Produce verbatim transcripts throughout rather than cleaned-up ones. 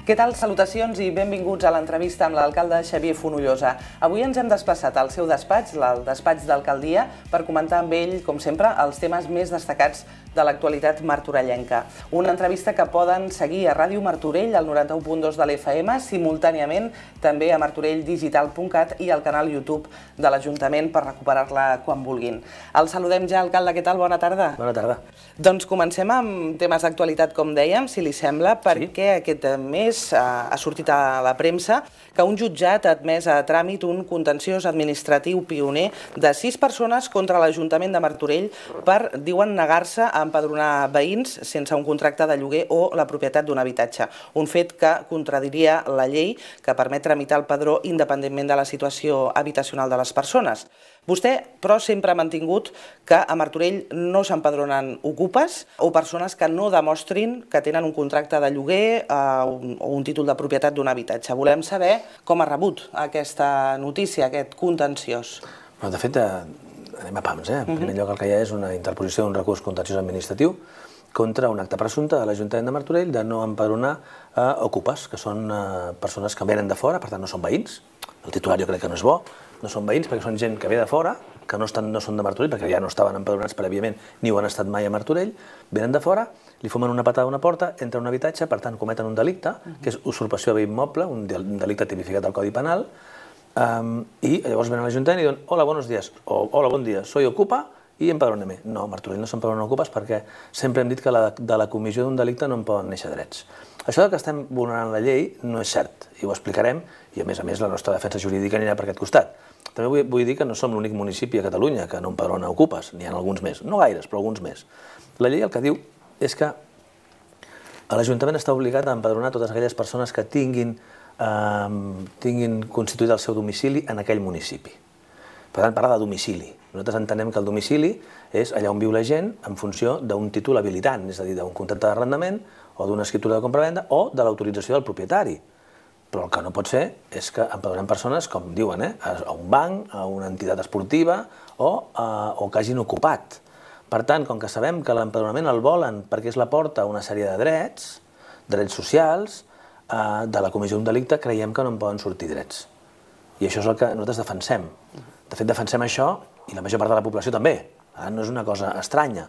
Què tal? Salutacions i benvinguts a l'entrevista amb l'alcalde Xavier Fonollosa. Avui ens hem desplaçat al seu despatx, al despatx d'alcaldia, per comentar amb ell, com sempre, els temes més destacats de l'actualitat martorellenca. Una entrevista que poden seguir a Ràdio Martorell, al noranta-u punt dos de l'F M, simultàniament també a martorell digital punt cat i al canal YouTube de l'Ajuntament per recuperar-la quan vulguin. El saludem ja, alcalde. Què tal? Bona tarda. Bona tarda. Doncs comencem amb temes d'actualitat, com dèiem, si li sembla, perquè aquest mes ha sortit a la premsa que un jutjat ha admès a tràmit un contenciós administratiu pioner de sis persones contra l'Ajuntament de Martorell per, diuen, negar-se a empadronar veïns sense un contracte de lloguer o la propietat d'un habitatge. Un fet que contradiria la llei que permet tramitar el padró independentment de la situació habitacional de les persones. Vostè, però, sempre ha mantingut que a Martorell no s'empadronen ocupes o persones que no demostrin que tenen un contracte de lloguer o un títol de propietat d'un habitatge. Volem saber com ha rebut aquesta notícia, aquest contenciós. De fet, anem a pams. En primer lloc, el que hi ha és una interposició d'un recurs contenciós administratiu contra un acte presumpte de l'Ajuntament de Martorell de no empadronar ocupes, que són persones que venen de fora, per tant no són veïns. El titular jo crec que no és bo. No són veïns perquè són gent que ve de fora, que no són de Martorell, perquè ja no estaven empadronats prèviament ni ho han estat mai a Martorell, venen de fora, li fumen una patada a una porta, entren a un habitatge, per tant cometen un delicte, que és usurpació de bé immoble, un delicte tipificat al Codi Penal, i llavors venen a l'Ajuntament i diuen hola, buenos días, o hola, bon dia, soy ocupa i empadróneme. No, a Martorell no s'empadronen ocupes perquè sempre hem dit que de la comissió d'un delicte no en poden néixer drets. Això que estem vulnerant la llei no és cert, i ho explicarem, i a més a més la nostra defensa jurídica anirà per aquest costat. També vull dir que no som l'únic municipi a Catalunya que no empadrona ocupes, n'hi ha alguns més, no gaires, però alguns més. La llei el que diu és que l'Ajuntament està obligat a empadronar totes aquelles persones que tinguin constituït el seu domicili en aquell municipi. Per tant, parla de domicili. Nosaltres entenem que el domicili és allà on viu la gent en funció d'un títol habilitant, és a dir, d'un contracte d'arrendament o d'una escriptura de compra-venda o de l'autorització del propietari. Però el que no pot ser és que empadronem persones, com diuen, a un banc, a una entitat esportiva o que hagin ocupat. Per tant, com que sabem que l'empadronament el volen perquè és la porta a una sèrie de drets, drets socials, de la comissió d'un delicte, creiem que no en poden sortir drets. I això és el que nosaltres defensem. De fet, defensem això, i la major part de la població també. No és una cosa estranya.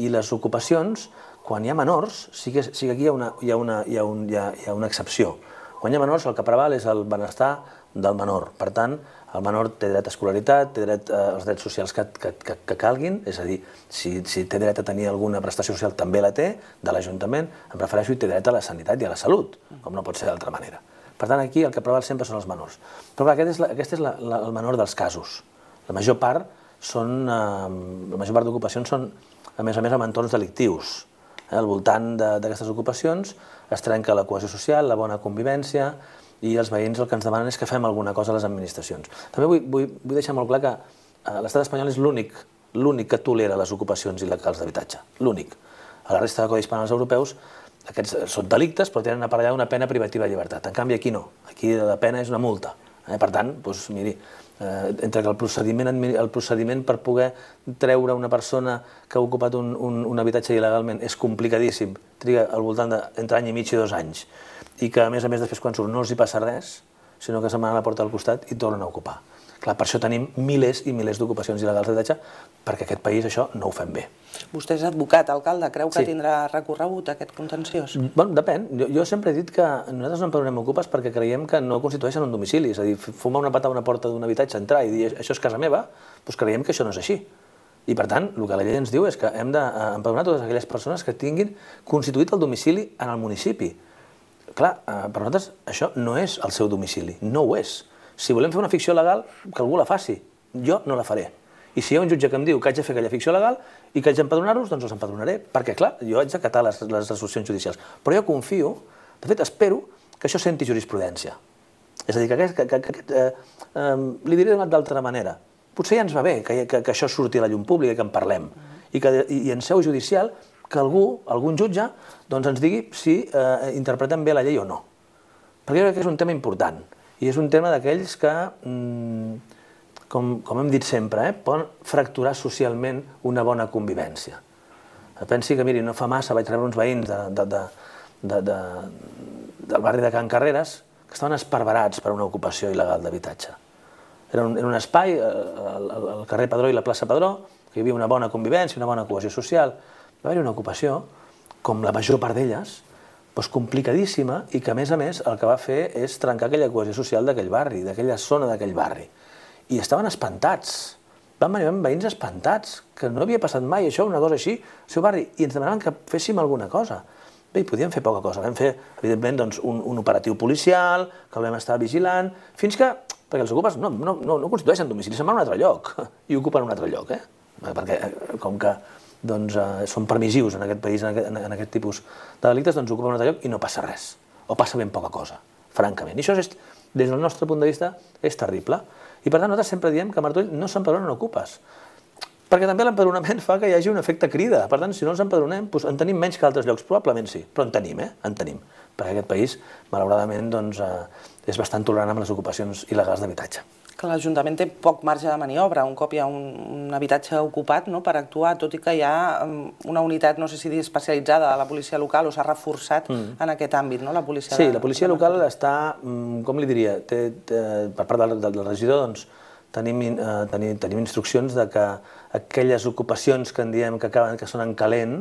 I les ocupacions, quan hi ha menors, sí que aquí hi ha una excepció. Quan hi ha menors, el que preval és el benestar del menor. Per tant, el menor té dret a escolaritat, té dret als drets socials que calguin, és a dir, si té dret a tenir alguna prestació social també la té, de l'Ajuntament, em refereixo, i té dret a la sanitat i a la salut, com no pot ser d'altra manera. Per tant, aquí el que preval sempre són els menors. Però aquest és el menor dels casos. La major part són, la major part d'ocupacions són, a més a més, en entorns delictius. Al voltant d'aquestes ocupacions es trenca la cohesió social, la bona convivència, i els veïns el que ens demanen és que fem alguna cosa a les administracions. També vull deixar molt clar que l'estat espanyol és l'únic que tolera les ocupacions il·legals d'habitatge. L'únic. A la resta de codis penals europeus aquests són delictes però tenen aparellada una pena privativa de llibertat. En canvi aquí no. Aquí la pena és una multa. Per tant, doncs miri, entre que el procediment per poder treure una persona que ha ocupat un habitatge il·legalment és complicadíssim, triga al voltant d'entre any i mig i dos anys, i que a més a més després quan surt no els hi passa res, sinó que se'n van a la porta del costat i tornen a ocupar. Clar, per això tenim milers i milers d'ocupacions il·legals d'habitatge, perquè aquest país això no ho fem bé. Vostè és advocat, alcalde, creu que tindrà recorregut aquest contenciós? Bé, depèn. Jo sempre he dit que nosaltres no empadronem ocupes perquè creiem que no constitueixen un domicili, és a dir, fumar una patada a una porta d'un habitatge, entrar i dir això és casa meva, doncs creiem que això no és així. I per tant, el que la llei ens diu és que hem d'empadronar totes aquelles persones que tinguin constituït el domicili en el municipi. Clar, per nosaltres això no és el seu domicili, no ho és. Si volem fer una ficció legal, que algú la faci. Jo no la faré. I si hi ha un jutge que em diu que haig de fer aquella ficció legal i que haig d'empadronar-los, doncs els empadronaré. Perquè, clar, jo haig d'acatar les resolucions judicials. Però jo confio, de fet, espero que això senti jurisprudència. És a dir, que li diré d'altra manera. Potser ja ens va bé que això surti a la llum pública i que en parlem. I en seu judicial que algú, algun jutge, ens digui si interpretem bé la llei o no. Perquè jo crec que és un tema important. I és un tema d'aquells que, com hem dit sempre, poden fracturar socialment una bona convivència. Pensi que, miri, no fa massa vaig rebre uns veïns del barri de Can Carreras que estaven esparverats per una ocupació il·legal d'habitatge. Era un, era un espai, al, al carrer Padró i la plaça Padró, que hi havia una bona convivència, una bona cohesió social. Va haver-hi una ocupació, com la major part d'elles, doncs complicadíssima i que, a més a més, el que va fer és trencar aquella cohesió social d'aquell barri, d'aquella zona d'aquell barri. I estaven espantats. Van venir veïns espantats, que no havia passat mai això, una cosa així, al seu barri, i ens demanaven que féssim alguna cosa. Bé, hi podíem fer poca cosa. Vam fer, evidentment, doncs, un, un operatiu policial, que el vam estar vigilant, fins que, perquè els ocupes no, no, no, no constitueixen domicili, se'n van a un altre lloc, i ocupen un altre lloc, eh? Perquè, com que doncs, eh, són permissius en aquest país, en aquest, en aquest tipus de delictes, doncs ocupen un altre lloc i no passa res, o passa ben poca cosa, francament. I això, és, des del nostre punt de vista, és terrible. I per tant, nosaltres sempre diem que a Martorell no s'empadronen ocupes, perquè també l'empadronament fa que hi hagi un efecte crida. Per tant, si no ens empadronem, doncs en tenim menys que altres llocs, probablement sí, però en tenim, eh? En tenim. Perquè aquest país, malauradament, doncs, eh, és bastant tolerant amb les ocupacions il·legals d'habitatge. Que l'Ajuntament té poc marge de maniobra, un cop hi ha un, un habitatge ocupat, no?, per actuar, tot i que hi ha una unitat, no sé si dir especialitzada de la policia local o s'ha reforçat mm. en aquest àmbit, no?, la policia... Sí, de, la policia local està, com li diria, té, té, per part del, del regidor, doncs, tenim, eh, tenim, tenim instruccions de que aquelles ocupacions que en diem que, acaben, que són en calent,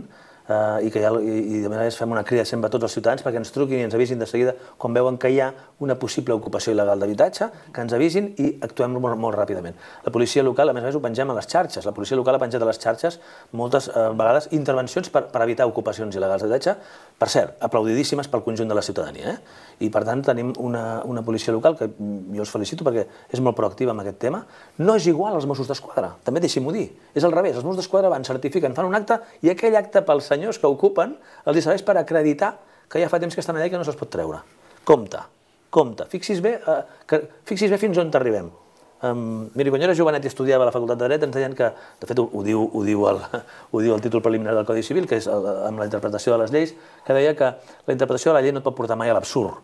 Uh, i, que ha, i, i de vegades fem una crida sempre a tots els ciutadans perquè ens truquin i ens avisin de seguida quan veuen que hi ha una possible ocupació il·legal d'habitatge, que ens avisin i actuem molt, molt ràpidament. La policia local, a més a més, ho pengem a les xarxes. La policia local ha penjat a les xarxes moltes uh, vegades intervencions per, per evitar ocupacions il·legals d'habitatge, per cert, aplaudidíssimes pel conjunt de la ciutadania. Eh? I per tant tenim una, una policia local que jo us felicito perquè és molt proactiva en aquest tema. No és igual als Mossos d'Esquadra, també deixi'm-ho dir. És al revés, els Mossos d'Esquadra van, certifiquen, fan un acte i aquell acte pels senyors que ocupen els serveix per acreditar que ja fa temps que estan allà i que no se'ls pot treure. Compte, compte. Fixis bé, eh, que, fixis bé fins on t'arribem. Um, miri, quan jo era jovenet i estudiava a la Facultat de Dret ens deien que, de fet ho, ho, diu, ho, diu el, ho diu el títol preliminar del Codi Civil, que és el, amb la interpretació de les lleis, que deia que la interpretació de la llei no et pot portar mai a l'absurd.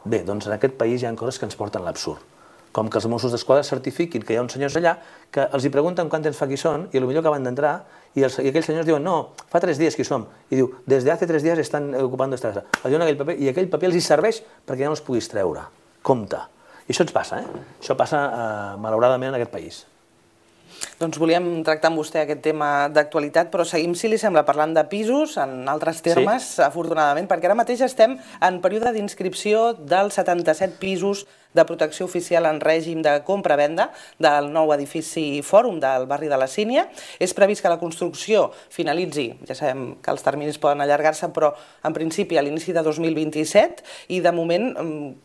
Bé, doncs en aquest país hi ha coses que ens porten a l'absurd. Com que els Mossos d'Esquadra certifiquin que hi ha uns senyors allà que els hi pregunten quant temps fa que hi són i potser acaben d'entrar i, els, i aquells senyors diuen no, fa tres dies que hi som. I diu, des de hace tres dies estan ocupant esta casa. Els diuen aquell paper i aquell paper els hi serveix perquè ja no els puguis treure. Compte. I això ens passa, eh? Això passa, eh, malauradament, en aquest país. Doncs volíem tractar amb vostè aquest tema d'actualitat, però seguim, si li sembla, parlant de pisos, en altres termes, sí. Afortunadament, perquè ara mateix estem en període d'inscripció dels setanta-set pisos de protecció oficial en règim de compra-venda del nou edifici Fòrum del barri de la Sínia. És previst que la construcció finalitzi, ja sabem que els terminis poden allargar-se, però en principi a l'inici de dos mil vint-i-set, i de moment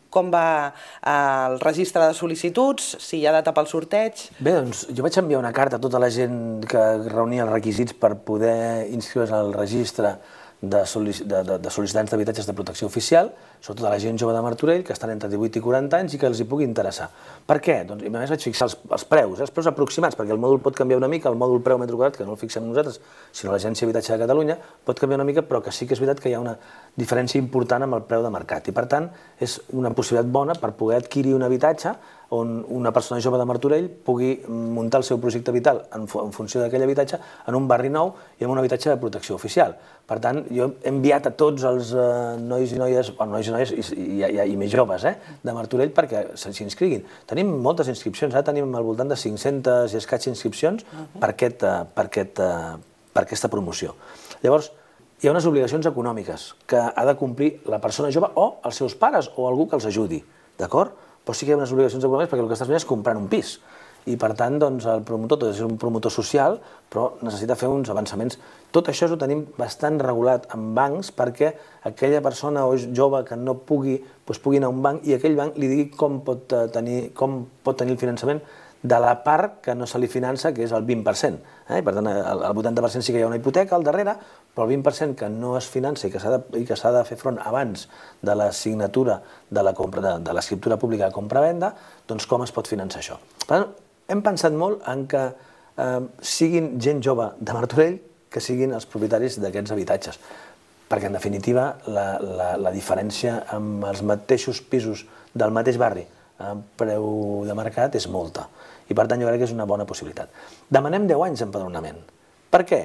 com va el registre de sol·licituds, si hi ha data pel sorteig? Bé, doncs jo vaig enviar una carta a tota la gent que reunia els requisits per poder inscriure's al registre de sol·licitants d'habitatges de protecció oficial, sobretot a la gent jove de Martorell, que estan entre divuit i quaranta anys i que els hi pugui interessar. Per què? Doncs, a més vaig fixar els, els preus, els preus aproximats, perquè el mòdul pot canviar una mica, el mòdul preu metre quadrat, que no el fixem nosaltres, sinó l'Agència d'Habitatge de Catalunya, pot canviar una mica, però que sí que és veritat que hi ha una diferència important amb el preu de mercat. I per tant, és una possibilitat bona per poder adquirir un habitatge on una persona jove de Martorell pugui muntar el seu projecte vital en funció d'aquell habitatge en un barri nou i en un habitatge de protecció oficial. Per tant, jo he enviat a tots els nois i noies, bueno, nois i noies i, i, i més joves eh, de Martorell perquè s'inscriguin. Tenim moltes inscripcions, ara tenim al voltant de cinc-centes i escaig inscripcions per, aquest, per, aquest, per aquesta promoció. Llavors, hi ha unes obligacions econòmiques que ha de complir la persona jove o els seus pares o algú que els ajudi, d'acord? Però sí que hi ha unes obligacions econòmiques perquè el que estàs fent és comprar un pis. I per tant, doncs, el promotor, tot és un promotor social, però necessita fer uns avançaments. Tot això ho tenim bastant regulat en bancs perquè aquella persona o jove que no pugui, doncs pugui anar a un banc i aquell banc li digui com pot tenir, com pot tenir el finançament de la part que no se li finança, que és el vint per cent. Eh? Per tant, el vuitanta per cent sí que hi ha una hipoteca al darrere, però el vint per cent que no es finança i que s'ha de, de, de fer front abans de la signatura de l'escriptura pública de compra-venda, doncs com es pot finançar això? Per tant, hem pensat molt en que eh, siguin gent jove de Martorell que siguin els propietaris d'aquests habitatges, perquè en definitiva la, la, la diferència amb els mateixos pisos del mateix barri amb preu de mercat és molta. I per tant jo crec que és una bona possibilitat. Demanem deu anys d'empadronament. Per què?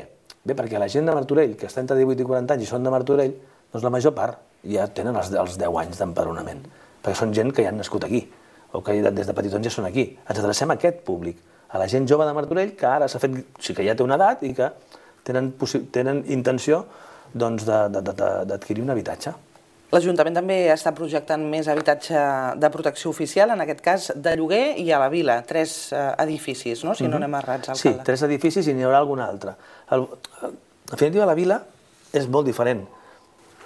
Bé, perquè la gent de Martorell, que està entre divuit i quaranta anys i són de Martorell, doncs la major part ja tenen els deu anys d'empadronament, perquè són gent que ja han nascut aquí, o que des de petitons ja són aquí. Ens adrecem a aquest públic, a la gent jove de Martorell, que ara s'ha fet, o sigui que ja té una edat i que tenen intenció d'adquirir un habitatge. L'Ajuntament també està projectant més habitatge de protecció oficial, en aquest cas de lloguer i a la vila, tres edificis, no? Si no anem errats, alcalde. Sí, tres edificis i n'hi haurà algun altre. En definitiva, la vila és molt diferent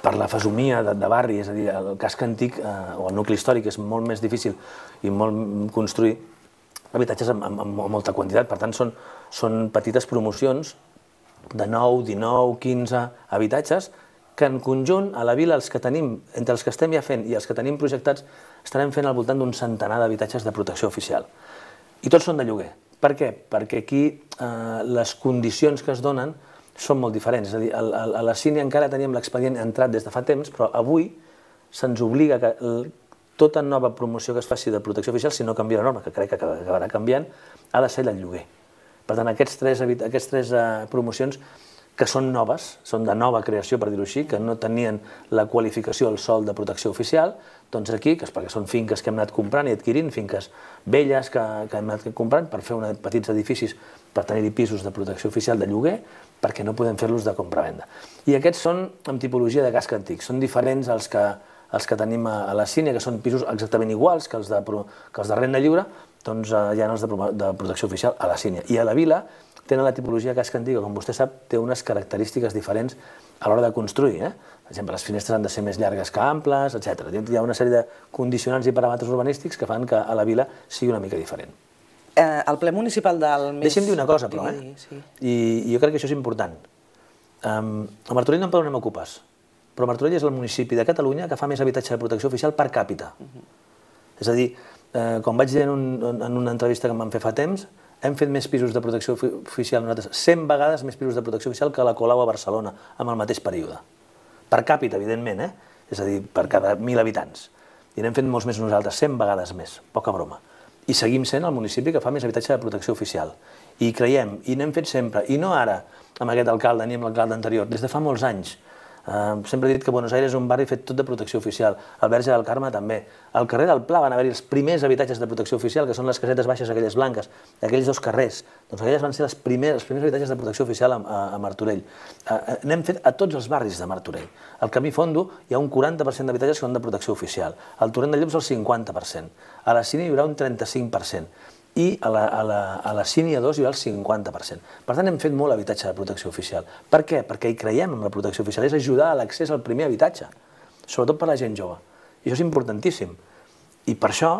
per la fesomia de barri, és a dir, el casc antic o el nucli històric és molt més difícil i molt construir habitatges amb molta quantitat. Per tant, són petites promocions de nou, dinou, quinze habitatges que en conjunt a la vila, els que tenim, entre els que estem ja fent i els que tenim projectats, estarem fent al voltant d'un centenar d'habitatges de protecció oficial. I tots són de lloguer. Per què? Perquè aquí les condicions que es donen són molt diferents. És a dir, a la Sínia encara teníem l'expedient entrat des de fa temps, però avui se'ns obliga que tota nova promoció que es faci de protecció oficial, si no canvia la norma, que crec que acabarà canviant, ha de ser del lloguer. Per tant, aquestes tres promocions que són noves, són de nova creació, per dir-ho així, que no tenien la qualificació al sòl de protecció oficial, doncs aquí, perquè són finques que hem anat comprant i adquirint, finques velles que hem anat comprant per fer petits edificis per tenir-hi pisos de protecció oficial de lloguer, perquè no podem fer-los de compra-venda. I aquests són amb tipologia de casc antic, són diferents als que tenim a la Sínia, que són pisos exactament iguals que els de renda lliure, doncs hi ha els de protecció oficial a la Sínia. I a la vila tenen la tipologia casc antic, que com vostè sap té unes característiques diferents a l'hora de construir. Per exemple, les finestres han de ser més llargues que amples, etcètera. Hi ha una sèrie de condicionants i paràmetres urbanístics que fan que a la vila sigui una mica diferent. El ple municipal del mes... Deixi'm dir una cosa, però, eh? I jo crec que això és important. A Martorell no empadronem ocupes, però Martorell és el municipi de Catalunya que fa més habitatge de protecció oficial per càpita. És a dir, com vaig dir en una entrevista que em van fer fa temps, hem fet més pisos de protecció oficial nosaltres, cent vegades més pisos de protecció oficial que la Colau a Barcelona, amb el mateix període. Per càpita, evidentment, eh? És a dir, per cada mil habitants. I n'hem fet molts més nosaltres, cent vegades més, poca broma. I seguim sent el municipi que fa més habitatge de protecció oficial. I creiem, i n'hem fet sempre, i no ara, amb aquest alcalde ni amb l'alcalde anterior, des de fa molts anys. Sempre he dit que Buenos Aires és un barri fet tot de protecció oficial, el Verge del Carme també. Al carrer del Pla van haver-hi els primers habitatges de protecció oficial, que són les casetes baixes, aquelles blanques, aquells dos carrers. Doncs aquelles van ser els primers habitatges de protecció oficial a Martorell. N'hem fet a tots els barris de Martorell. Al Camí Fondo hi ha un quaranta per cent d'habitatges que són de protecció oficial. Al Torrent de Llops el cinquanta per cent. A la Sínia hi haurà un trenta-cinc per cent. I a la Sínia dos hi haurà el cinquanta per cent. Per tant, hem fet molt habitatge de protecció oficial. Per què? Perquè hi creiem en la protecció oficial, és ajudar a l'accés al primer habitatge, sobretot per a la gent jove. I això és importantíssim. I per això,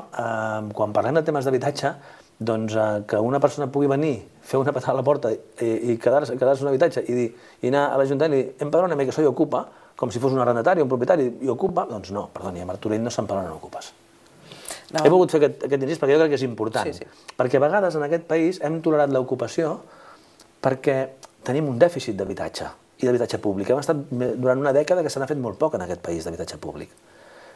quan parlem de temes d'habitatge, doncs que una persona pugui venir, fer una patada a la porta i quedar-se un habitatge i anar a l'Ajuntament i dir empadrona'm que soy ocupa, com si fos un arrendatari o un propietari i ocupa, doncs no, perdoni, a Martorell no s'empadronen ocupes. He volgut fer aquest incís perquè jo crec que és important, perquè a vegades en aquest país hem tolerat l'ocupació perquè tenim un dèficit d'habitatge i d'habitatge públic. Hem estat durant una dècada que se n'ha fet molt poc en aquest país d'habitatge públic.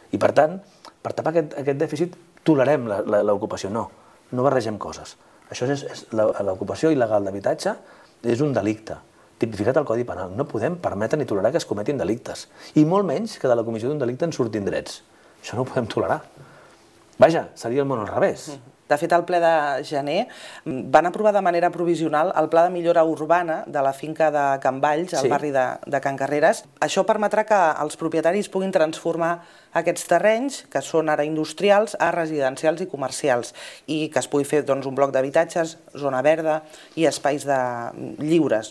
I per tant, per tapar aquest dèficit, tolerem l'ocupació. No, no barregem coses. Això és l'ocupació il·legal d'habitatge, és un delicte tipificat al Codi Penal. No podem permetre ni tolerar que es cometin delictes. I molt menys que de la comissió d'un delicte en surtin drets. Això no ho podem tolerar. Vaja, seria el món al revés. De fet, al ple de gener van aprovar de manera provisional el pla de millora urbana de la finca de Can Valls, al barri de Can Carreres. Això permetrà que els propietaris puguin transformar aquests terrenys, que són ara industrials, a residencials i comercials, i que es pugui fer un bloc d'habitatges, zona verda i espais lliures.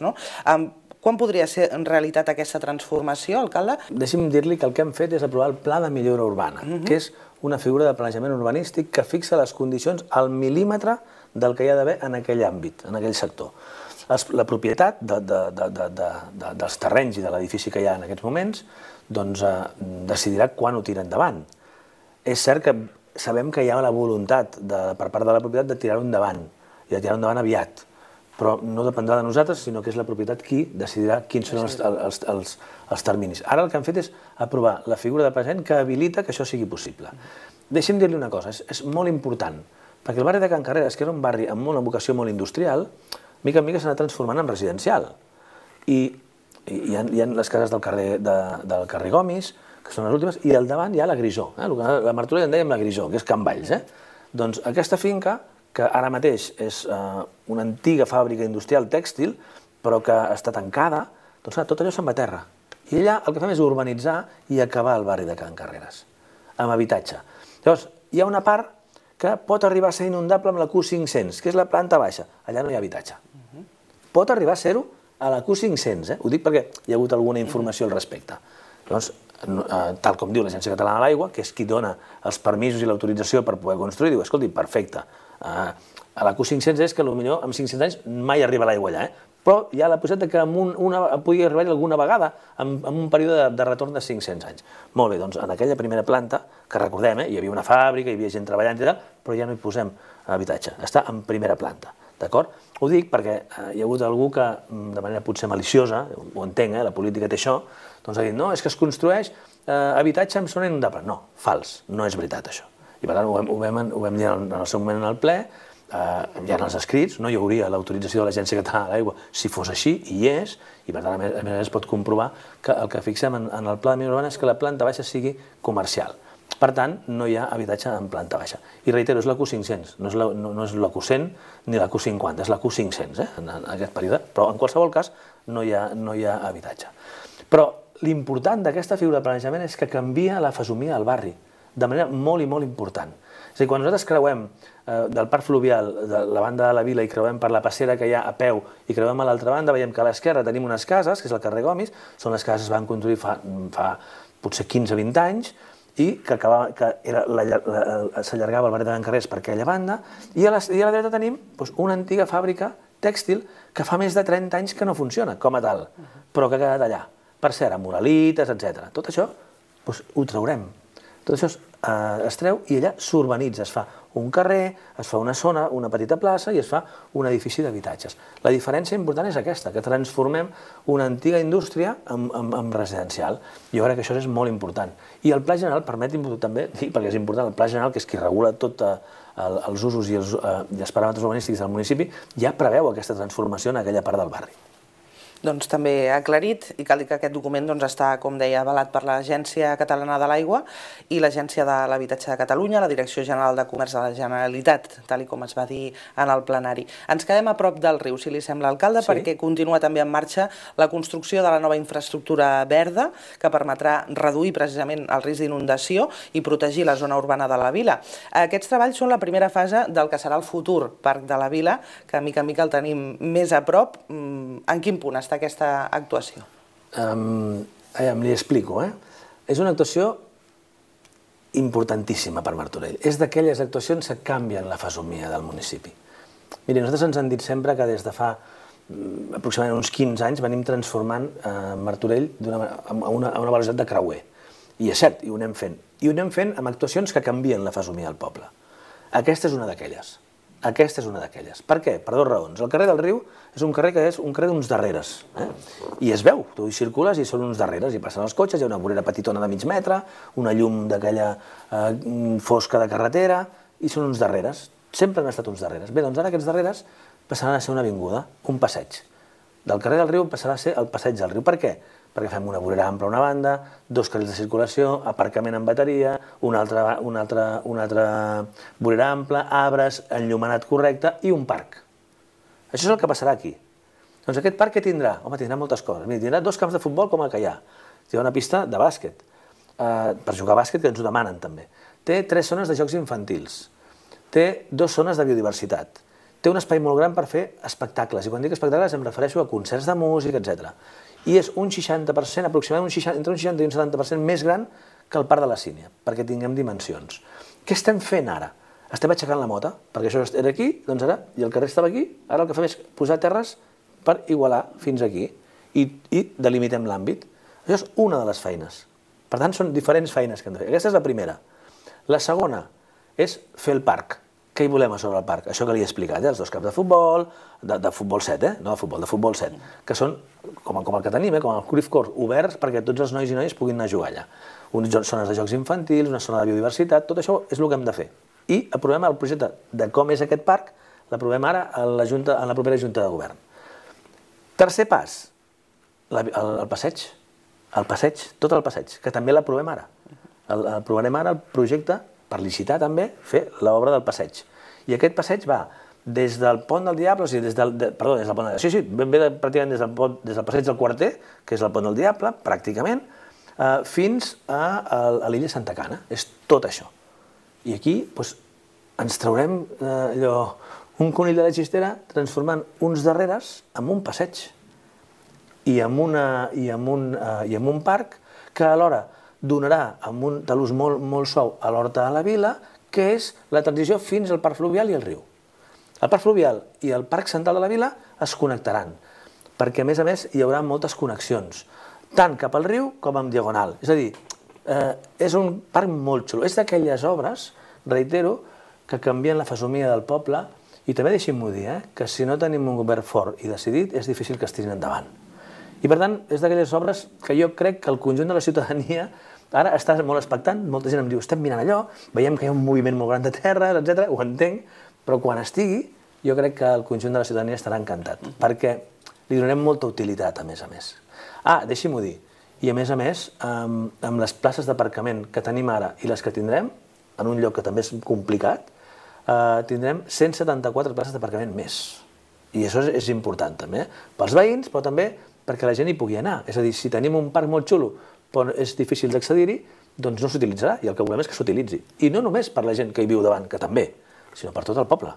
Quan podria ser en realitat aquesta transformació, alcalde? Deixi'm dir-li que el que hem fet és aprovar el Pla de Millora Urbana, que és una figura de planejament urbanístic que fixa les condicions al mil·límetre del que hi ha d'haver en aquell àmbit, en aquell sector. La propietat dels terrenys i de l'edifici que hi ha en aquests moments decidirà quan ho tira endavant. És cert que sabem que hi ha la voluntat per part de la propietat de tirar-ho endavant, i de tirar-ho endavant aviat, però no dependrà de nosaltres, sinó que és la propietat qui decidirà quins són els terminis. Ara el que han fet és aprovar la figura de present que habilita que això sigui possible. Deixi'm dir-li una cosa, és molt important, perquè el barri de Can Carreres, que era un barri amb una vocació molt industrial, mica en mica s'ha anat transformant en residencial. I hi ha, hi ha les cases del carrer, de, del carrer Gomis, que són les últimes, i al davant hi ha la Grisó, eh? La Martorell en dèiem la Grisó, que és Can Valls. Eh? Doncs aquesta finca, que ara mateix és eh, una antiga fàbrica industrial tèxtil, però que està tancada, doncs tot allò se'n va a terra. I allà el que fem és urbanitzar i acabar el barri de Can Carreras, amb habitatge. Llavors, hi ha una part que pot arribar a ser inundable amb la Q cinc-cents, que és la planta baixa. Allà no hi ha habitatge. Pot arribar a ser-ho a la Q cinc-cents, eh? Ho dic perquè hi ha hagut alguna informació al respecte. Llavors, tal com diu l'Agència Catalana de l'Aigua, que és qui dona els permisos i l'autorització per poder construir, diu, escolti, perfecte, a la Q cinc-cents és que potser en cinc-cents anys mai arriba l'aigua allà, eh? Però hi ha la possibilitat que pugui arribar alguna vegada en un període de retorn de cinc-cents anys. Molt bé, doncs en aquella primera planta, que recordem, hi havia una fàbrica, hi havia gent treballant i tal, però ja no hi posem habitatge, està en primera planta, d'acord? Ho dic perquè hi ha hagut algú que, de manera potser maliciosa, ho entenc, la política té això, doncs ha dit, no, és que es construeix habitatge en zona inundable. No, fals, no és veritat això. I per tant ho vam dir en el seu moment en el ple, hi ha els escrits, no hi hauria l'autorització de l'Agència Catalana de l'Aigua si fos així, i hi és, i per tant a més a més es pot comprovar que el que fixem en el pla de millora urbana és que la planta baixa sigui comercial. Per tant, no hi ha habitatge en planta baixa. I reitero, és la Q cinc-cents, no és la Q cent ni la Q cinquanta, és la Q cinc-cents en aquest període, però en qualsevol cas no hi ha habitatge. Però l'important d'aquesta figura de planejament és que canvia la fesomia del barri, de manera molt i molt important. És a dir, quan nosaltres creuem del parc fluvial de la banda de la vila i creuem per la passera que hi ha a peu i creuem a l'altra banda, veiem que a l'esquerra tenim unes cases, que és el carrer Gomis, són les cases que es van construir fa potser quinze o vint anys, i que s'allargava el barri de Can Carreras per aquella banda, i a la dreta tenim una antiga fàbrica tèxtil que fa més de trenta anys que no funciona com a tal, però que ha quedat allà. Per cert, amb muralites, etcètera. Tot això ho traurem. Tot això es treu i allà s'urbanitza, es fa un carrer, es fa una zona, una petita plaça i es fa un edifici d'habitatges. La diferència important és aquesta, que transformem una antiga indústria en residencial. Jo crec que això és molt important. I el Pla General, permeti'm també dir, perquè és important, el Pla General, que és qui regula tots els usos i els paràmetres urbanístics del municipi, ja preveu aquesta transformació en aquella part del barri. Doncs també ha aclarit, i cal dir que aquest document està, com deia, avalat per l'Agència Catalana de l'Aigua i l'Agència de l'Habitatge de Catalunya, la Direcció General de Comerç de la Generalitat, tal com es va dir en el plenari. Ens quedem a prop del riu, si li sembla, alcalde, perquè continua també en marxa la construcció de la nova infraestructura verda que permetrà reduir precisament el risc d'inundació i protegir la zona urbana de la vila. Aquests treballs són la primera fase del que serà el futur Parc de la Vila, que mica en mica el tenim més a prop. En quin punt està aquesta actuació? Li explico. És una actuació importantíssima per Martorell. És d'aquelles actuacions que canvien la fesomia del municipi. Miri, nosaltres ens han dit sempre que des de fa aproximadament uns quinze anys venim transformant Martorell a una velocitat de creuer. I és cert, i ho anem fent. I ho anem fent amb actuacions que canvien la fesomia del poble. Aquesta és una d'aquelles. Aquesta és una d'aquelles. Per què? Per dues raons. El carrer del Riu és un carrer que és un carrer d'uns darreres. I es veu, tu hi circules i són uns darreres, i passen els cotxes, hi ha una vorera petitona de mig metre, una llum d'aquella fosca de carretera, i són uns darreres. Sempre han estat uns darreres. Bé, doncs ara aquests darreres passaran a ser una avinguda, un passeig. Del carrer del Riu passarà a ser el passeig del Riu. Per què? Perquè fem una vorera ampla a una banda, dos carrils de circulació, aparcament amb bateria, una altra vorera ampla, arbres, enllumenat correcte i un parc. Això és el que passarà aquí. Doncs aquest parc què tindrà? Home, tindrà moltes coses. Tindrà dos camps de futbol com el que hi ha. Hi ha una pista de bàsquet, per jugar a bàsquet, que ens ho demanen també. Té tres zones de jocs infantils. Té dues zones de biodiversitat. Té un espai molt gran per fer espectacles. I quan dic espectacles em refereixo a concerts de música, etcètera. I és un seixanta per cent, aproximadament entre un seixanta i un setanta per cent més gran que el Parc de la Sínia, perquè tinguem dimensions. Què estem fent ara? Estem aixecant la mota, perquè això era aquí, doncs ara, i el carrer estava aquí, ara el que fem és posar terres per igualar fins aquí i delimitem l'àmbit. Això és una de les feines. Per tant, són diferents feines que hem de fer. Aquesta és la primera. La segona és fer el parc. Què hi volem a sobre el parc? Això que li he explicat, els dos camps de futbol, de futbol set, no de futbol, de futbol set, que són com el que tenim, com el Cruyff Court, oberts perquè tots els nois i noies puguin anar a jugar allà. Unes zones de jocs infantils, una zona de biodiversitat, tot això és el que hem de fer. I aprovem el projecte de com és aquest parc, l'aprovem ara en la propera Junta de Govern. Tercer pas, el passeig, el passeig, tot el passeig, que també l'aprovem ara. Aprovarem ara el projecte, per licitar també, fer l'obra del passeig. I aquest passeig va des del Pont del Diable, o sigui, des del, perdó, des del Pont del Diable, sí, sí, ben bé pràcticament des del, pont, des del passeig del Quarter, que és el Pont del Diable, pràcticament, eh, fins a, a l'illa Santa Cana. És tot això. I aquí doncs, ens traurem eh, allò, un conill de la xistera transformant uns darreres en un passeig i en, una, i en, un, eh, i en un parc que alhora donarà amb un talús molt, molt suau a l'Horta de la Vila, que és la transició fins al Parc Fluvial i al riu. El Parc Fluvial i el Parc Central de la Vila es connectaran, perquè a més a més hi haurà moltes connexions, tant cap al riu com en diagonal. És a dir, eh, és un parc molt xulo. És d'aquelles obres, reitero, que canvien la fesomia del poble i també deixem-m'ho dir, eh, que si no tenim un govern fort i decidit és difícil que es tirin endavant. I per tant, és d'aquelles obres que jo crec que el conjunt de la ciutadania ara està molt expectant, molta gent em diu, estem mirant allò, veiem que hi ha un moviment molt gran de terra, etcètera, ho entenc, però quan estigui, jo crec que el conjunt de la ciutadania estarà encantat, perquè li donarem molta utilitat, a més a més. Ah, deixi-m'ho dir, i a més a més, amb, amb les places d'aparcament que tenim ara i les que tindrem, en un lloc que també és complicat, eh, tindrem cent setanta-quatre places d'aparcament més. I això és, és important, també, pels veïns, però també perquè la gent hi pugui anar. És a dir, si tenim un parc molt xulo, però és difícil d'accedir-hi, doncs no s'utilitzarà, i el que volem és que s'utilitzi. I no només per la gent que hi viu davant, que també, sinó per tot el poble,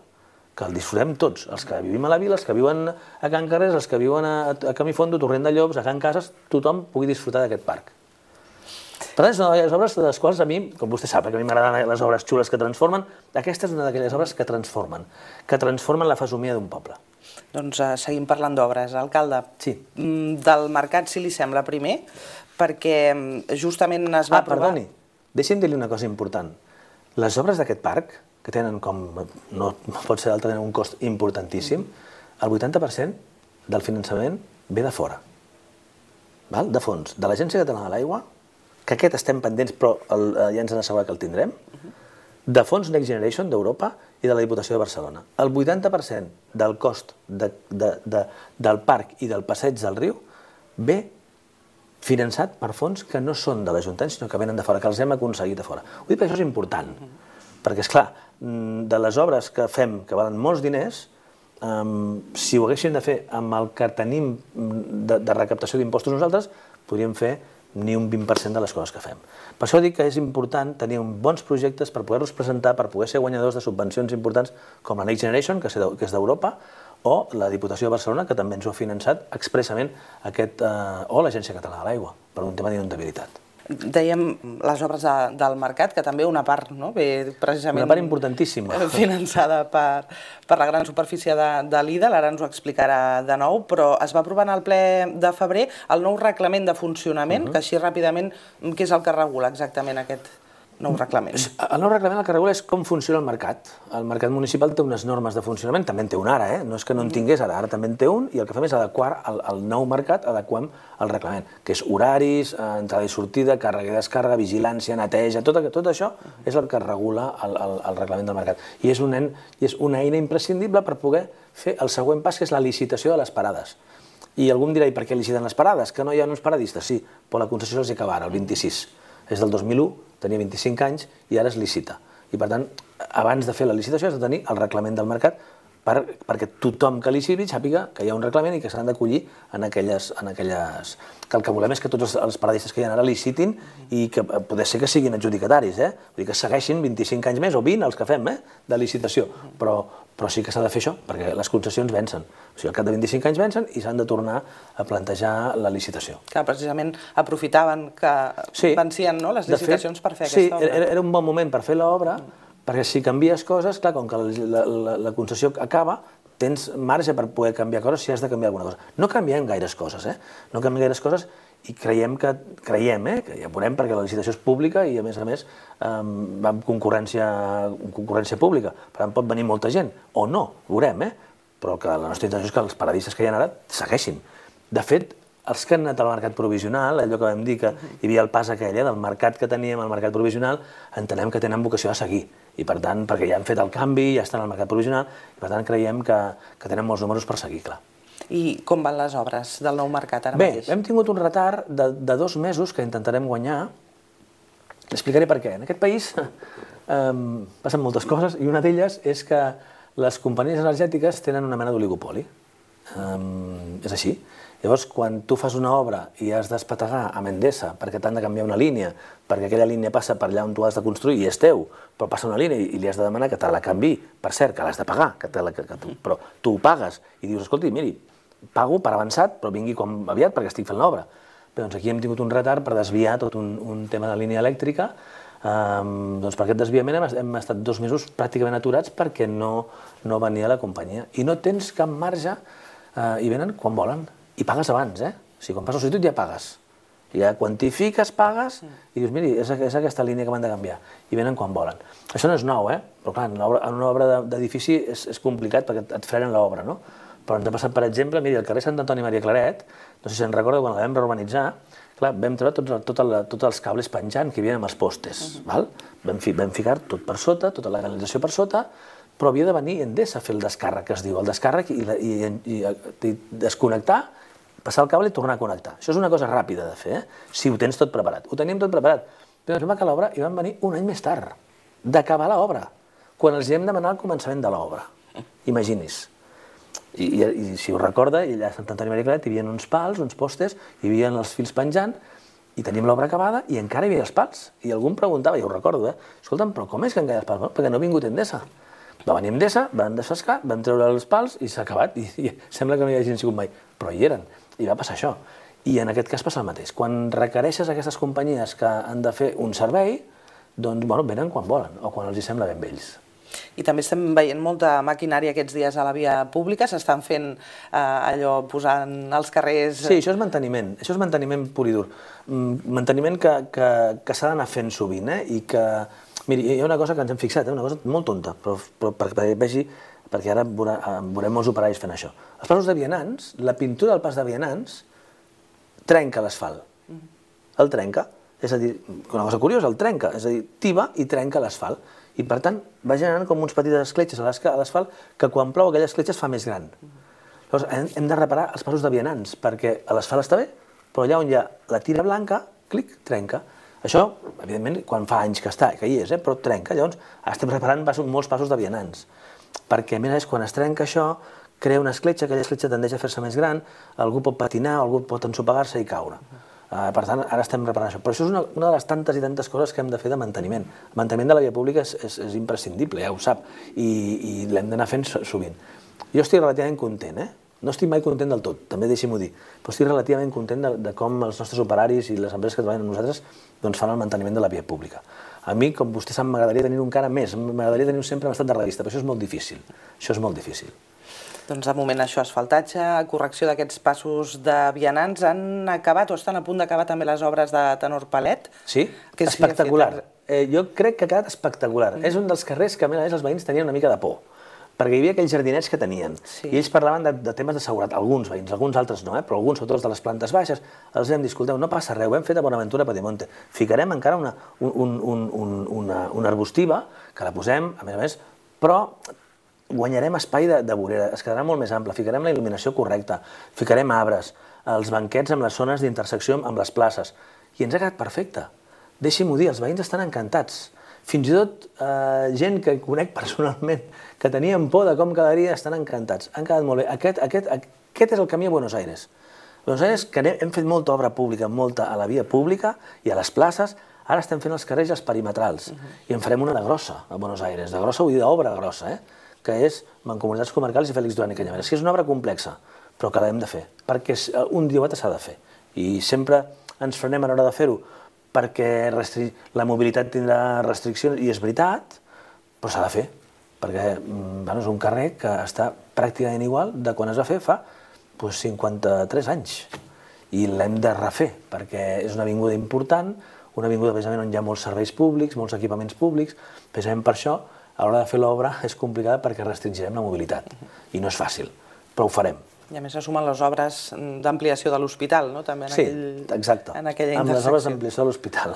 que el disfrutem tots, els que vivim a la vila, els que viuen a Can Carrers, els que viuen a, a Camí Fondo, Torrent de Llops, a Can Cases, tothom pugui disfrutar d'aquest parc. Per tant, és una d'aquelles obres de les quals a mi, com vostè sap, que a mi m'agraden les obres xules que transformen, aquesta és una d'aquelles obres que transformen, que transformen la fesomia d'un poble. Doncs uh, seguim parlant d'obres. Alcalde, sí. Del mercat, si li sembla, primer, perquè justament es va ah, aprovar... Perdoni, deixi'm dir-li una cosa important. Les obres d'aquest parc, que tenen com, no pot ser d'altra, un cost importantíssim, el vuitanta per cent del finançament ve de fora. Val? De fons, de l'Agència Catalana de l'Aigua, que aquest estem pendents, però el, ja ens han assegurat que el tindrem, de fons Next Generation d'Europa i de la Diputació de Barcelona. El vuitanta per cent del cost de, de, de, del parc i del passeig del riu ve finançat per fons que no són de l'Ajuntament, sinó que venen de fora, que els hem aconseguit de fora. Ho dic perquè això és important, perquè, esclar, de les obres que fem, que valen molts diners, um, si ho haguéssim de fer amb el que tenim de, de recaptació d'impostos nosaltres, podríem fer ni un vint per cent de les coses que fem. Per això dic que és important tenir bons projectes per poder-los presentar, per poder ser guanyadors de subvencions importants com la Next Generation, que és d'Europa, o la Diputació de Barcelona, que també ens ho ha finançat expressament, aquest, eh, o l'Agència Catalana de l'Aigua, per un tema d'inundabilitat. Dèiem les obres de, del mercat, que també una part, no? Ve precisament... Una part importantíssima. Finançada per, per la gran superfície de, de l'I D A, ara ens ho explicarà de nou, però es va aprovar en el ple de febrer el nou reglament de funcionament, uh-huh. que així ràpidament, què és el que regula exactament aquest nou reglament? El nou reglament el que regula és com funciona el mercat. El mercat municipal té unes normes de funcionament, també en té un ara, eh? No és que no en tingués ara, ara també en té un, i el que fem és adequar el, el nou mercat, adequem el reglament, que és horaris, entrada i sortida, càrrega i descàrrega, vigilància, neteja, tot, tot això és el que regula el, el, el reglament del mercat. I és, un, i és una eina imprescindible per poder fer el següent pas, que és la licitació de les parades. I algú em dirà, i per què liciten les parades? Que no hi ha uns paradistes? Sí, però la concessió se'ls acaba ara, el vint-i-sis. És del dos mil u, tenia vint-i-cinc anys i ara es licita. I per tant, abans de fer la licitació has de tenir el reglament del mercat per, perquè tothom que liciti sàpiga que hi ha un reglament i que s'han d'acollir en aquelles, en aquelles... Que el que volem és que tots els, els paradistes que hi ha ara licitin i que poder ser que siguin adjudicataris, eh? Vull dir que segueixin vint-i-cinc anys més o vint els que fem, eh? De licitació. Però, però sí que s'ha de fer això, perquè les concessions vencen. O sigui, al cap de vint-i-cinc anys vencen i s'han de tornar a plantejar la licitació. Que precisament aprofitaven que sí, vencien, no, les licitacions per fer sí, aquesta obra. Sí, era un bon moment per fer l'obra, perquè si canvies coses, clar, com que la, la, la concessió acaba, tens marge per poder canviar coses si has de canviar alguna cosa. No canviem gaires coses, eh? No canviem gaires coses i creiem que, creiem, eh? Que ja veurem perquè la licitació és pública i a més a més eh, va amb concurrència, concurrència pública. Per tant pot venir molta gent, o no, veurem, eh? Però que la nostra intenció és que els paradistes que hi ha ara segueixin. De fet, els que han anat al mercat provisional, allò que vam dir que hi havia el pas aquell, eh, del mercat que teníem al mercat provisional, entenem que tenen vocació a seguir. I per tant, perquè ja han fet el canvi, ja estan al mercat provisional, i per tant creiem que, que tenen molts números per seguir, clar. I com van les obres del nou mercat ara mateix? Bé, hem tingut un retard de dos mesos que intentarem guanyar. Explicaré per què. En aquest país passen moltes coses i una d'elles és que les companyies energètiques tenen una mena d'oligopoli. És així. Llavors, quan tu fas una obra i has d'espetegar amb Endesa perquè t'han de canviar una línia, perquè aquella línia passa per allà on tu has de construir i és teu, però passa una línia i li has de demanar que te la canviï, per cert, que l'has de pagar, però tu ho pagues i dius, escolti, miri, pago per avançat, però vingui aviat perquè estic fent l'obra. Doncs aquí hem tingut un retard per desviar tot un tema de línia elèctrica. Doncs per aquest desviament hem estat dos mesos pràcticament aturats perquè no venia la companyia. I no tens cap marge i venen quan volen. I pagues abans, eh? O sigui, quan fas la sol·licitud ja pagues. Ja quantifiques, pagues, i dius, miri, és aquesta línia que m'han de canviar. I venen quan volen. Això no és nou, eh? Però clar, en una obra d'edifici és complicat perquè et frenen l'obra, no? Però ens ha passat, per exemple, miri, al carrer Sant Antoni Maria Claret, no sé si se'n recorda, quan la vam reurbanitzar, clar, vam treure tots els cables penjant que hi havia amb els postes, val? Vam ficar tot per sota, tota la canalització per sota, però havia de venir Endesa a fer el descàrrec, que es diu, el descàrrec i desconnectar, passar el cable i tornar a connectar. Això és una cosa ràpida de fer, si ho tens tot preparat. Ho teníem tot preparat, però ens vam acabar l'obra i van venir un any més tard d'acabar l'obra, quan els hem demanat el començament de l'obra. Imagini's. I si ho recorda, allà a Sant Antoni Maria Claret hi havia uns pals, uns postes, hi havia els fils penjant, i teníem l'obra acabada i encara hi havia els pals. I algú em preguntava, ja ho recordo, eh? Escolta'm, però com és que encara hi ha els pals? Perquè no ha vingut Endesa. Va venir Endesa, van desfascar, vam treure els pals i s'ha acabat. I sembla que no hi hagin sigut mai, però hi eren. I va passar això. I en aquest cas passa el mateix. Quan requereixes aquestes companyies que han de fer un servei, doncs venen quan volen o quan els hi sembla ben vells. I també estem veient molta maquinària aquests dies a la via pública, s'estan fent allò, posant als carrers... Sí, això és manteniment, això és manteniment pur i dur. Manteniment que s'ha d'anar fent sovint, eh? I que... Miri, hi ha una cosa que ens hem fixat, una cosa molt tonta, però perquè vegi, perquè ara veurem molts operaris fent això. Els passos de vianants, la pintura del pas de vianants trenca l'asfalt. El trenca, és a dir, una cosa curiosa, el trenca, és a dir, tiba i trenca l'asfalt. I per tant va generant com uns petites escletxes a l'asfalt que quan plou aquella escletxa es fa més gran. Llavors hem de reparar els passos de vianants perquè l'asfalt està bé, però allà on hi ha la tira blanca, clic, trenca. Això, evidentment, quan fa anys que està, que hi és, però trenca. Llavors, estem reparant molts passos de vianants. Perquè, a més, quan es trenca això, crea una escletxa, aquella escletxa tendeix a fer-se més gran, algú pot patinar, algú pot ensopegar-se i caure. Per tant, ara estem reparant això. Però això és una de les tantes i tantes coses que hem de fer de manteniment. El manteniment de la via pública és imprescindible, ja ho sap, i l'hem d'anar fent sovint. Jo estic relativament content, eh? No estic mai content del tot, també deixi-m'ho dir, però estic relativament content de com els nostres operaris i les empreses que treballen amb nosaltres fan el manteniment de la via pública. A mi, com vostè sap, m'agradaria tenir-ho encara més, m'agradaria tenir-ho sempre en estat de revista, però això és molt difícil, això és molt difícil. Doncs de moment això, asfaltatge, correcció d'aquests passos de vianants, han acabat o estan a punt d'acabar també les obres de Tenor Palet? Sí, espectacular. Jo crec que ha quedat espectacular. És un dels carrers que a més els veïns tenien una mica de por, perquè hi havia aquells jardinets que tenien, i ells parlaven de temes de seguretat, alguns veïns, alguns altres no, però alguns, sobretot els de les plantes baixes, els vam dir, escolteu, no passa res, ho hem fet a Bonaventura Padimonte, ficarem encara una arbustiva, que la posem, a més a més, però guanyarem espai de vorera, es quedarà molt més ample, ficarem la il·luminació correcta, ficarem arbres, els banquets amb les zones d'intersecció amb les places, i ens ha quedat perfecte. Deixi-m'ho dir, els veïns estan encantats. Fins i tot gent que conec personalment, que tenien por de com quedaria, estan encantats. Han quedat molt bé. Aquest és el camí a Buenos Aires. A Buenos Aires hem fet molta obra pública, molta a la via pública i a les places. Ara estem fent els carrers i els perimetrals. I en farem una de grossa a Buenos Aires. De grossa vull dir d'obra grossa, que és Mancomunitats Comarcals i Félix Duran i Canyameres. És una obra complexa, però que l'hem de fer, perquè un dia o altre s'ha de fer. I sempre ens frenem a l'hora de fer-ho, perquè la mobilitat tindrà restriccions, i és veritat, però s'ha de fer, perquè és un carrer que està pràcticament igual de quan es va fer fa cinquanta-tres anys, i l'hem de refer, perquè és una avinguda important, una avinguda precisament on hi ha molts serveis públics, molts equipaments públics, precisament per això, a l'hora de fer l'obra és complicada perquè restringirem la mobilitat, i no és fàcil, però ho farem. I a més se sumen les obres d'ampliació de l'hospital, no? Sí, exacte, amb les obres d'ampliació de l'hospital.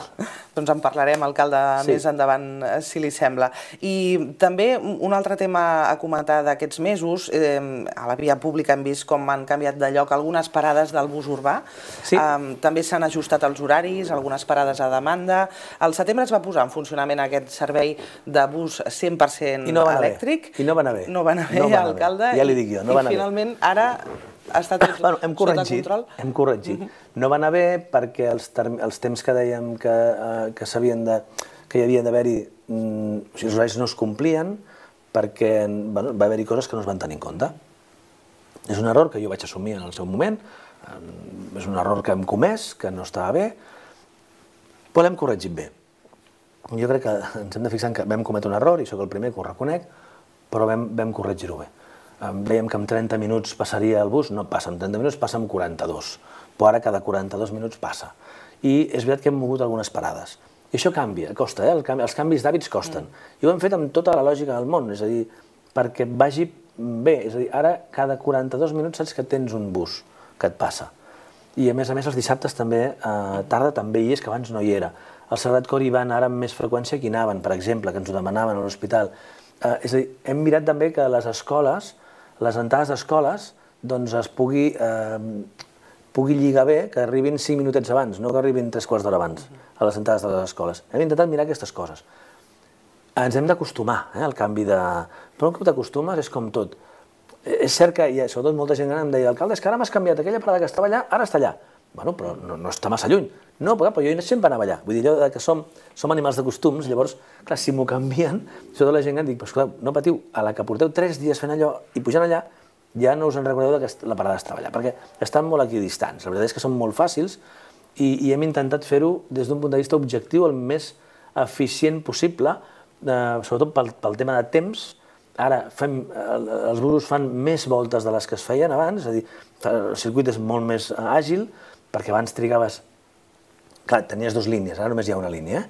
Doncs en parlarem, alcalde, més endavant, si li sembla. I també un altre tema a comentar d'aquests mesos, a la via pública hem vist com han canviat de lloc algunes parades del bus urbà, també s'han ajustat els horaris, algunes parades a demanda. Al setembre es va posar en funcionament aquest servei de bus cent per cent elèctric. I no va anar bé. No va anar bé, alcalde. Ja li dic jo, no va anar bé. I finalment ara està tot sota control. Hem corregit. No va anar bé perquè els temps que dèiem que s'havien de... que hi havia d'haver-hi... els horaris no es complien perquè va haver-hi coses que no es van tenir en compte. És un error que jo vaig assumir en el seu moment, és un error que hem comès, que no estava bé, però l'hem corregit bé. Jo crec que ens hem de fixar que vam cometre un error, i sóc el primer que ho reconec, però vam corregir-ho bé. Dèiem que en trenta minuts passaria el bus, no passa en trenta minuts, passa en quaranta-dos, però ara cada quaranta-dos minuts passa. I és veritat que hem mogut algunes parades. I això canvia, costa, els canvis d'hàbits costen. I ho hem fet amb tota la lògica del món, és a dir, perquè vagi bé. És a dir, ara cada quaranta-dos minuts saps que tens un bus que et passa. I a més a més els dissabtes també, tarda també hi és, que abans no hi era. El Sagrat Cor hi van ara amb més freqüència que hi anaven, per exemple, que ens ho demanaven a l'hospital. És a dir, hem mirat també que les escoles, les entrades d'escoles, doncs es pugui lligar bé, que arribin cinc minutets abans, no que arribin tres quarts d'hora abans a les entrades de les escoles. Hem intentat mirar aquestes coses. Ens hem d'acostumar al canvi de... Però un cop t'acostumes és com tot. És cert que, sobretot molta gent gran em deia, alcalde, és que ara m'has canviat aquella parada que estava allà, ara està allà. Bueno, però no està massa lluny. No, però jo sempre anava allà. Vull dir, allò que som animals de costums, llavors, clar, si m'ho canvien, sobretot la gent gran dic, però esclar, no patiu, a la que porteu tres dies fent allò i pujant allà, ja no us en recordeu que la parada estava allà, perquè estan molt equidistants. La veritat és que són molt fàcils i hem intentat fer-ho des d'un punt de vista objectiu el més eficient possible, sobretot pel tema de temps. Ara els busos fan més voltes de les que es feien abans, és a dir, el circuit és molt més àgil, perquè abans trigaves... Clar, tenies dues línies, ara només hi ha una línia,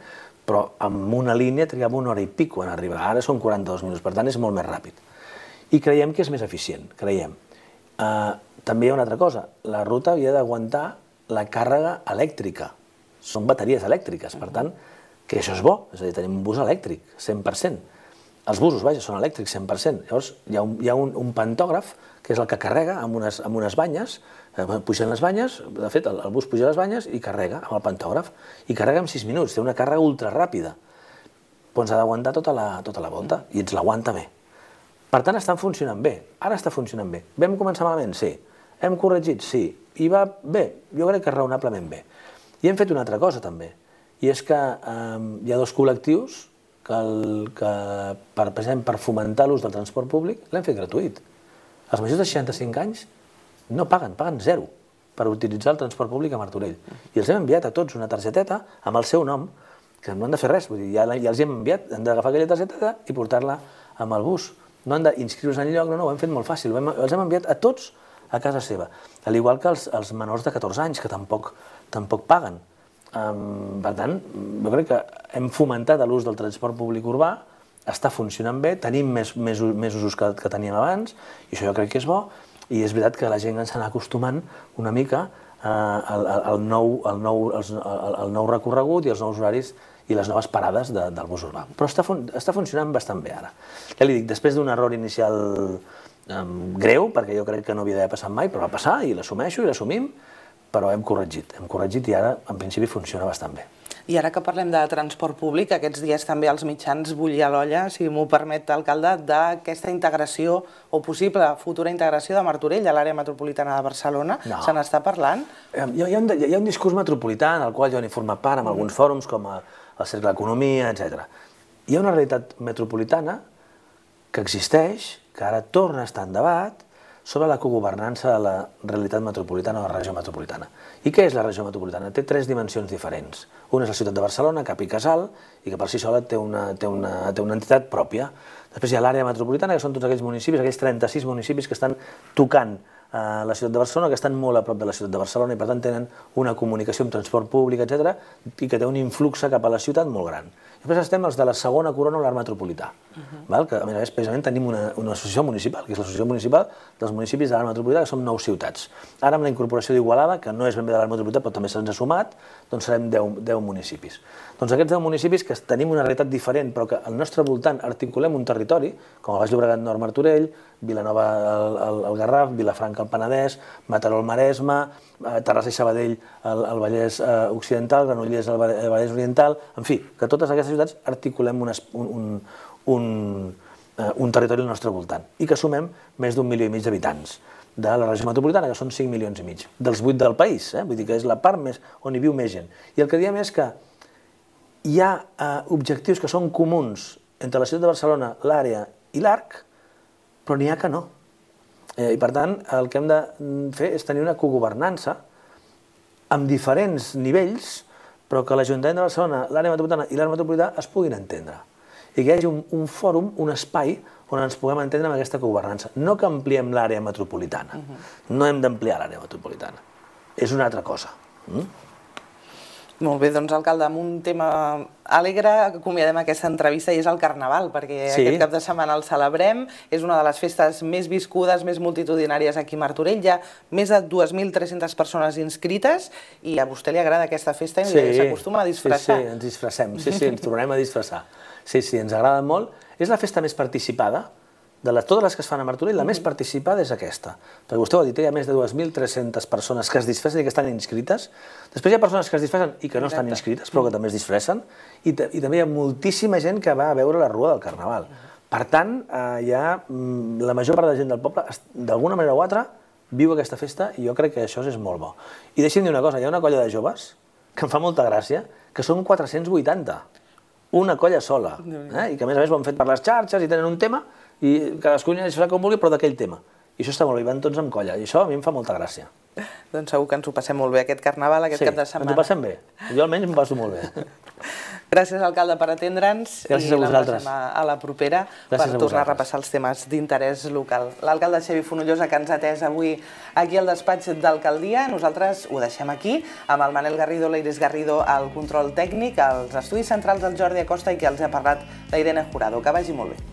però amb una línia trigava una hora i pico en arribar, ara són quaranta-dos minuts, per tant és molt més ràpid. I creiem que és més eficient, creiem. També hi ha una altra cosa, la ruta havia d'aguantar la càrrega elèctrica, són bateries elèctriques, per tant, que això és bo, és a dir, tenim un bus elèctric, cent per cent. Els busos, vaja, són elèctrics, cent per cent. Llavors, hi ha un pantògraf, que és el que carrega amb unes banyes, pugen les banyes, de fet, el bus puja les banyes i carrega amb el pantògraf, i carrega en sis minuts, té una càrrega ultraràpida. Però ens ha d'aguantar tota la volta, i ens l'aguanta bé. Per tant, estan funcionant bé, ara està funcionant bé. Vam començar malament? Sí. Hem corregit? Sí. I va bé? Jo crec que raonablement bé. I hem fet una altra cosa, també, i és que hi ha dos col·lectius que, precisament per fomentar l'ús del transport públic, l'hem fet gratuït. Els majors de seixanta-cinc anys no paguen, paguen zero per utilitzar el transport públic a Martorell. I els hem enviat a tots una targeteta amb el seu nom, que no han de fer res, vull dir, ja els hem enviat, han d'agafar aquella targeteta i portar-la amb el bus. No han d'inscriure's enlloc, no, no, ho hem fet molt fàcil, els hem enviat a tots a casa seva. Al igual que els menors de catorze anys, que tampoc paguen. Per tant, jo crec que hem fomentat l'ús del transport públic urbà, està funcionant bé, tenim més usos que teníem abans, i això jo crec que és bo, i és veritat que la gent ens s'anà acostumant una mica al nou recorregut i als nous horaris i les noves parades del bus urbà. Però està funcionant bastant bé ara. Ja li dic, després d'un error inicial greu, perquè jo crec que no havia d'haver passat mai, però va passar i l'assumeixo i l'assumim, però hem corregit, hem corregit i ara en principi funciona bastant bé. I ara que parlem de transport públic, aquests dies també els mitjans bullia l'olla, si m'ho permet, alcalde, d'aquesta integració o possible futura integració de Martorell a l'àrea metropolitana de Barcelona. Se n'està parlant? Hi ha un discurs metropolità en el qual jo n'he format part amb alguns fòrums com el Cercle d'Economia, etcètera. Hi ha una realitat metropolitana que existeix, que ara torna a estar en debat, sobre la cogovernança de la realitat metropolitana o la regió metropolitana. I què és la regió metropolitana? Té tres dimensions diferents. Una és la ciutat de Barcelona, cap i casal, i que per si sola té una entitat pròpia. Després hi ha l'àrea metropolitana, que són tots aquells municipis, aquells trenta-sis municipis que estan tocant a la ciutat de Barcelona, que estan molt a prop de la ciutat de Barcelona i per tant tenen una comunicació amb transport públic, etcètera, i que té un influx cap a la ciutat molt gran. Després estem els de la segona corona o l'arc metropolità, que a més a més precisament tenim una associació municipal, que és l'associació municipal dels municipis de l'arc metropolità, que són nou ciutats. Ara amb la incorporació d'Igualada, que no és ben bé de l'arc metropolità però també se'ns ha sumat, doncs serem deu municipis. Doncs aquests deu municipis que tenim una realitat diferent però que al nostre voltant articulem un territori, com el Baix Llobregat Nord Martorell, Vilanova al Garraf, Vilafranca al Penedès, Mataró al Maresme, Terrassa i Sabadell al Vallès Occidental, Granollers al Vallès Oriental, en fi, que totes aquestes ciutats articulem un territori al nostre voltant i que sumem més d'un milió i mig d'habitants de la regió metropolitana, que són cinc milions i mig, dels vuit del país, vull dir que és la part on hi viu més gent. I el que diem és que hi ha objectius que són comuns entre la ciutat de Barcelona, l'àrea i l'arc, però n'hi ha que no. I per tant, el que hem de fer és tenir una cogovernança amb diferents nivells, però que l'Ajuntament de Barcelona, l'àrea metropolitana i l'arc metropolità es puguin entendre. I que hi hagi un fòrum, un espai on ens puguem entendre amb aquesta cogovernança. No que ampliem l'àrea metropolitana. No hem d'ampliar l'àrea metropolitana. És una altra cosa. Molt bé, doncs, alcalde, amb un tema alegre acomiadem aquesta entrevista i és el Carnaval, perquè aquest cap de setmana el celebrem, és una de les festes més viscudes, més multitudinàries aquí a Martorell, hi ha més de dues mil tres-centes persones inscrites i a vostè li agrada aquesta festa i s'acostuma a disfressar. Sí, sí, ens disfressem, sí, sí, ens tornem a disfressar. Sí, sí, ens agrada molt. És la festa més participada. De totes les que es fan a Martorell, la més participada és aquesta. Perquè vostè ho ha dit, hi ha més de dues mil tres-centes persones que es disfressen i que estan inscrites. Després hi ha persones que es disfressen i que no estan inscrites, però que també es disfressen. I també hi ha moltíssima gent que va a veure la Rua del Carnaval. Per tant, hi ha la major part de la gent del poble, d'alguna manera o altra, viu aquesta festa i jo crec que això és molt bo. I deixi'm dir una cosa, hi ha una colla de joves que em fa molta gràcia, que són quatre-cents vuitanta. Una colla sola. I que a més a més ho han fet per les xarxes i tenen un tema i cadascú hi fa com vulgui, però d'aquell tema. I això està molt bé, van tots amb colla, i això a mi em fa molta gràcia. Doncs segur que ens ho passem molt bé aquest Carnaval, aquest cap de setmana. Sí, ens ho passem bé. Jo almenys m'ho passo molt bé. Gràcies, alcalde, per atendre'ns. Gràcies a vosaltres. I l'emplacem a la propera per tornar a repassar els temes d'interès local. L'alcalde Xavi Fonollosa, que ens ha atès avui aquí al despatx d'alcaldia. Nosaltres ho deixem aquí, amb el Manel Garrido, l'Iris Garrido, al control tècnic, als estudis centrals del Jordi Acosta i que els ha parlat la Irene Jurado. Que vagi molt bé.